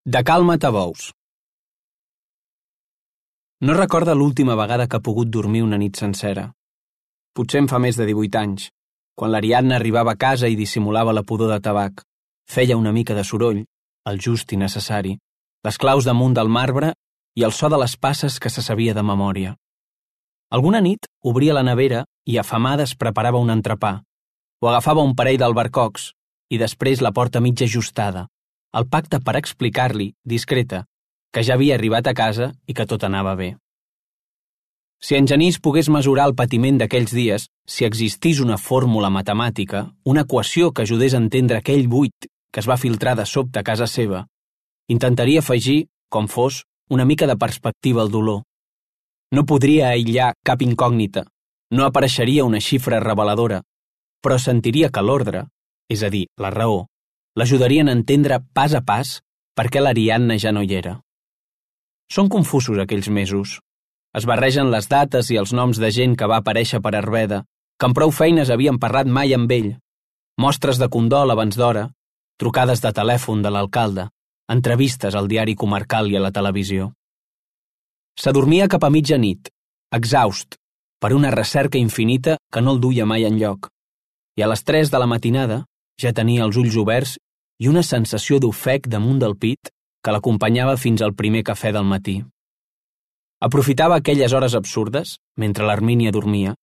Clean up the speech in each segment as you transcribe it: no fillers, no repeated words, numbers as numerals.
De calma t'abous. No recorda l'última vegada que ha pogut dormir una nit sencera. Potser en fa més de 18 anys, quan l'Ariadna arribava a casa i dissimulava la pudor de tabac. Feia una mica de soroll, el just i necessari, les claus damunt del marbre i el so de les passes que se sabia de memòria. Alguna nit obria la nevera i afamada es preparava un entrepà, o agafava un parell d'albercocs i després la porta mig ajustada, el pacte per explicar-li, discreta, que ja havia arribat a casa i que tot anava bé. Si en Genís pogués mesurar el patiment d'aquells dies, si existís una fórmula matemàtica, una equació que ajudés a entendre aquell buit que es va filtrar de sobte a casa seva, intentaria afegir, com fos, una mica de perspectiva al dolor. No podria aïllar cap incògnita, no apareixeria una xifra reveladora, però sentiria que l'ordre, és a dir, la raó, l'ajudarien a entendre pas a pas per què l'Ariadna ja no hi era. Són confusos aquells mesos. Es barregen les dates i els noms de gent que va aparèixer per Arveda, que amb prou feines havien parlat mai amb ell, mostres de condol abans d'hora, trucades de telèfon de l'alcalde, entrevistes al diari comarcal i a la televisió. S'adormia cap a mitjanit, exhaust, per una recerca infinita que no el duia mai enlloc, i a les 3 de la matinada ja tenia els ulls oberts i una sensació d'ofec damunt del pit que l'acompanyava fins al primer cafè del matí. Aprofitava aquelles hores absurdes, mentre l'Hermínia dormia,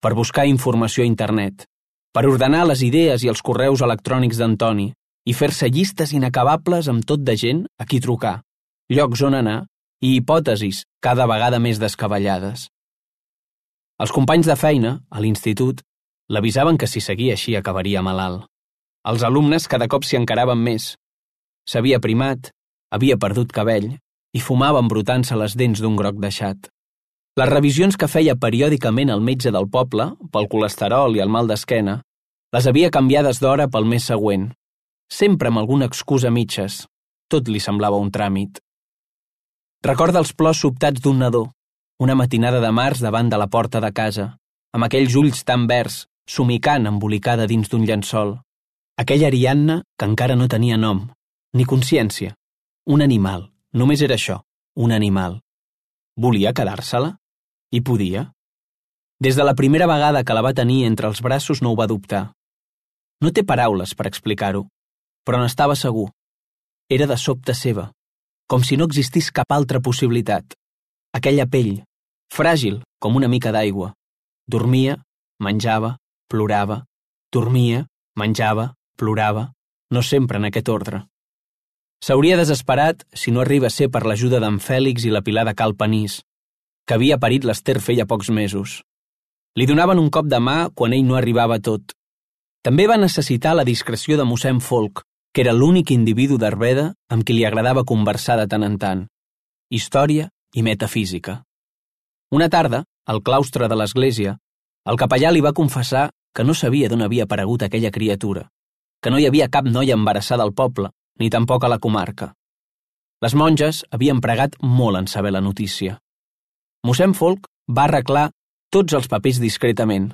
per buscar informació a internet, per ordenar les idees i els correus electrònics d'Antoni i fer-se llistes inacabables amb tot de gent a qui trucar, llocs on anar i hipòtesis cada vegada més descabellades. Els companys de feina, a l'institut, l'avisaven que si seguia així acabaria malalt. Els alumnes cada cop s'hi encaraven més. S'havia primat, havia perdut cabell i fumava embrutant-se les dents d'un groc deixat. Les revisions que feia periòdicament el metge del poble, pel colesterol i el mal d'esquena, les havia canviades d'hora pel mes següent, sempre amb alguna excusa a mitges. Tot li semblava un tràmit. Recorda els plors sobtats d'un nadó, una matinada de març davant de la porta de casa, amb aquells ulls tan verds, somicant embolicada dins d'un llençol. Aquella Ariadna que encara no tenia nom, ni consciència. Un animal, només era això, un animal. Volia quedar-se-la? I podia? Des de la primera vegada que la va tenir entre els braços no ho va dubtar. No té paraules per explicar-ho, però n'estava segur. Era de sobte seva, com si no existís cap altra possibilitat. Aquella pell, fràgil com una mica d'aigua. Dormia, menjava, plorava, dormia, menjava, plorava, no sempre en aquest ordre. S'hauria desesperat si no arriba a ser per l'ajuda d'en Fèlix i la Pilar de Cal Panís, que havia parit l'Ester feia pocs mesos. Li donaven un cop de mà quan ell no arribava a tot. També va necessitar la discreció de mossèn Folc, que era l'únic individu d'Arveda amb qui li agradava conversar de tant en tant. Història i metafísica. Una tarda, al claustre de l'església, el capellà li va confessar que no sabia d'on havia aparegut aquella criatura, que no hi havia cap noia embarassada al poble, ni tampoc a la comarca. Les monges havien pregat molt en saber la notícia. Mossèn Folc va arreglar tots els papers discretament.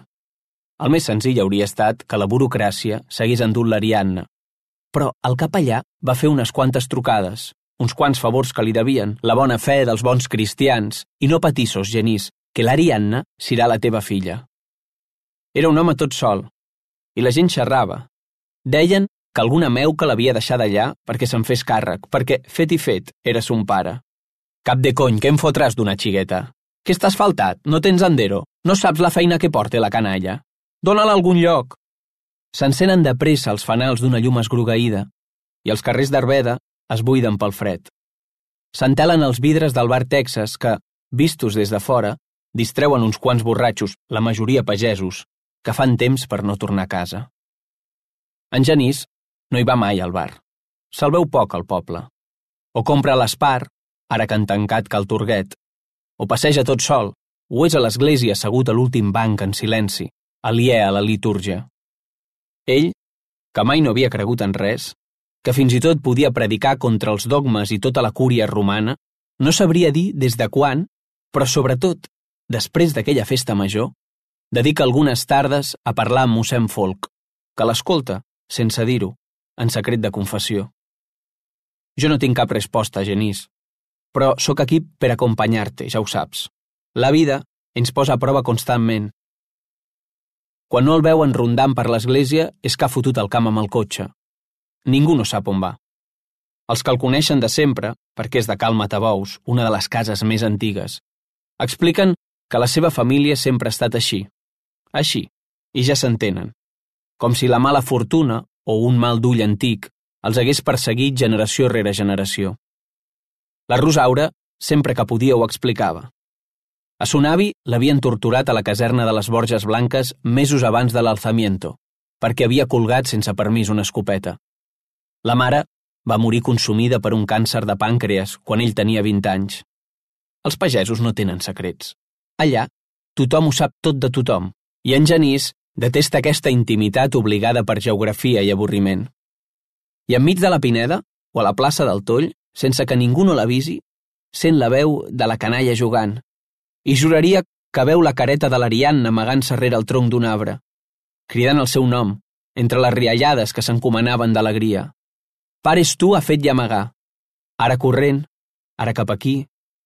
El més senzill hauria estat que la burocràcia s'hagués endut l'Ariadna, però el capellà va fer unes quantes trucades, uns quants favors que li devien, la bona fe dels bons cristians, i no patissos, Genís, que l'Ariadna serà la teva filla. Era un home tot sol, i la gent xerrava. Deien que alguna meuca l'havia deixat allà perquè se'n fes càrrec, perquè, fet i fet, era son pare. Cap de cony, què em fotràs d'una xigueta? Què estàs faltat? No tens endero? No saps la feina que porta la canalla? Dóna-la a algun lloc. S'encenen de pressa els fanals d'una llum esgrogueïda i els carrers d'Arveda es buiden pel fred. S'entelen els vidres del bar Texas que, vistos des de fora, distreuen uns quants borratxos, la majoria pagesos, que fan temps per no tornar a casa. En Genís no hi va mai al bar. Se'l veu poc al poble. O compra a l'Espar, ara que han tancat Cal Turguet, o passeja tot sol, o és a l'església assegut a l'últim banc en silenci, aliè a la litúrgia. Ell, que mai no havia cregut en res, que fins i tot podia predicar contra els dogmes i tota la cúria romana, no sabria dir des de quan, però sobretot, després d'aquella festa major, dedica algunes tardes a parlar amb mossèn Folc, que l'escolta, sense dir-ho, en secret de confessió. Jo no tinc cap resposta, Genís. Però sóc aquí per acompanyar-te, ja ho saps. La vida ens posa a prova constantment. Quan no el veuen rondant per l'església és que ha fotut el camp amb el cotxe. Ningú no sap on va. Els que el coneixen de sempre, perquè és de Cal Matabous, una de les cases més antigues, expliquen que la seva família sempre ha estat així, i ja s'entenen, com si la mala fortuna o un mal d'ull antic els hagués perseguit generació rere generació. La Rosaura, sempre que podia, ho explicava. A son avi l'havien torturat a la caserna de les Borges Blanques mesos abans de l'alzamiento, perquè havia colgat sense permís una escopeta. La mare va morir consumida per un càncer de pàncreas quan ell tenia 20 anys. Els pagesos no tenen secrets. Allà, tothom ho sap tot de tothom, i en Genís detesta aquesta intimitat obligada per geografia i avorriment. I enmig de la Pineda, o a la plaça del Toll, sense que ningú no l'avisi, sent la veu de la canalla jugant, i juraria que veu la careta de l'Ariadna amagant-se rere el tronc d'un arbre, cridant el seu nom, entre les riallades que s'encomanaven d'alegria. Pares tu ha fet llamagar. Ara corrent, ara cap aquí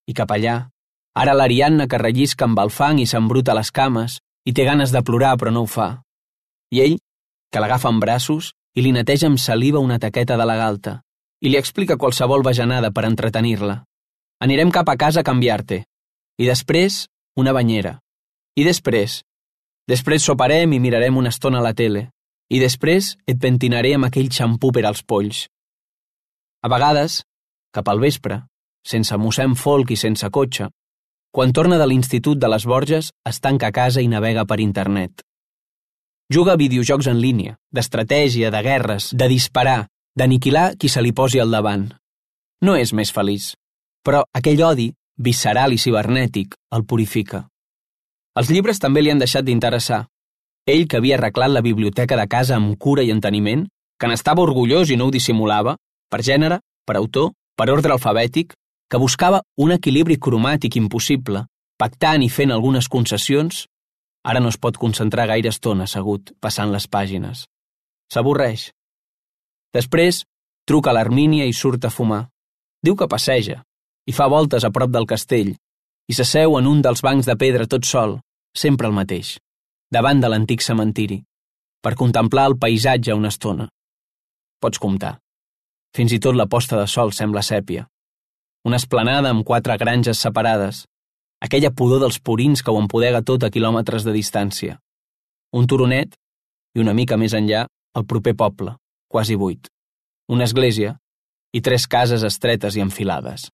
i cap allà. Ara l'Ariadna que rellisca amb el fang i s'embruta les cames i té ganes de plorar però no ho fa. I ell, que l'agafa en braços i li neteja amb saliva una taqueta de la galta i li explica qualsevol bajanada per entretenir-la. Anirem cap a casa a canviar-te. I després, una banyera. I després soparem i mirarem una estona a la tele. I després et pentinaré amb aquell xampú per als polls. A vegades, cap al vespre, sense mossèn Folk i sense cotxe, quan torna de l'institut de les Borges, es tanca a casa i navega per internet. Juga a videojocs en línia, d'estratègia, de guerres, de disparar, d'aniquilar qui se li posi al davant. No és més feliç, però aquell odi, visceral i cibernètic, el purifica. Els llibres també li han deixat d'interessar. Ell, que havia arreglat la biblioteca de casa amb cura i enteniment, que n'estava orgullós i no ho dissimulava, per gènere, per autor, per ordre alfabètic, que buscava un equilibri cromàtic impossible, pactant i fent algunes concessions, ara no es pot concentrar gaire estona assegut, passant les pàgines. S'avorreix. Després, truca a l'Armínia i surt a fumar. Diu que passeja, i fa voltes a prop del castell, i s'asseu en un dels bancs de pedra tot sol, sempre el mateix, davant de l'antic cementiri, per contemplar el paisatge una estona. Pots comptar. Fins i tot la posta de sol sembla sèpia. Una esplanada amb 4 granges separades, aquella pudor dels purins que ho empodega tot a quilòmetres de distància. Un turonet i una mica més enllà el proper poble, quasi buit. Una església i 3 cases estretes i enfilades.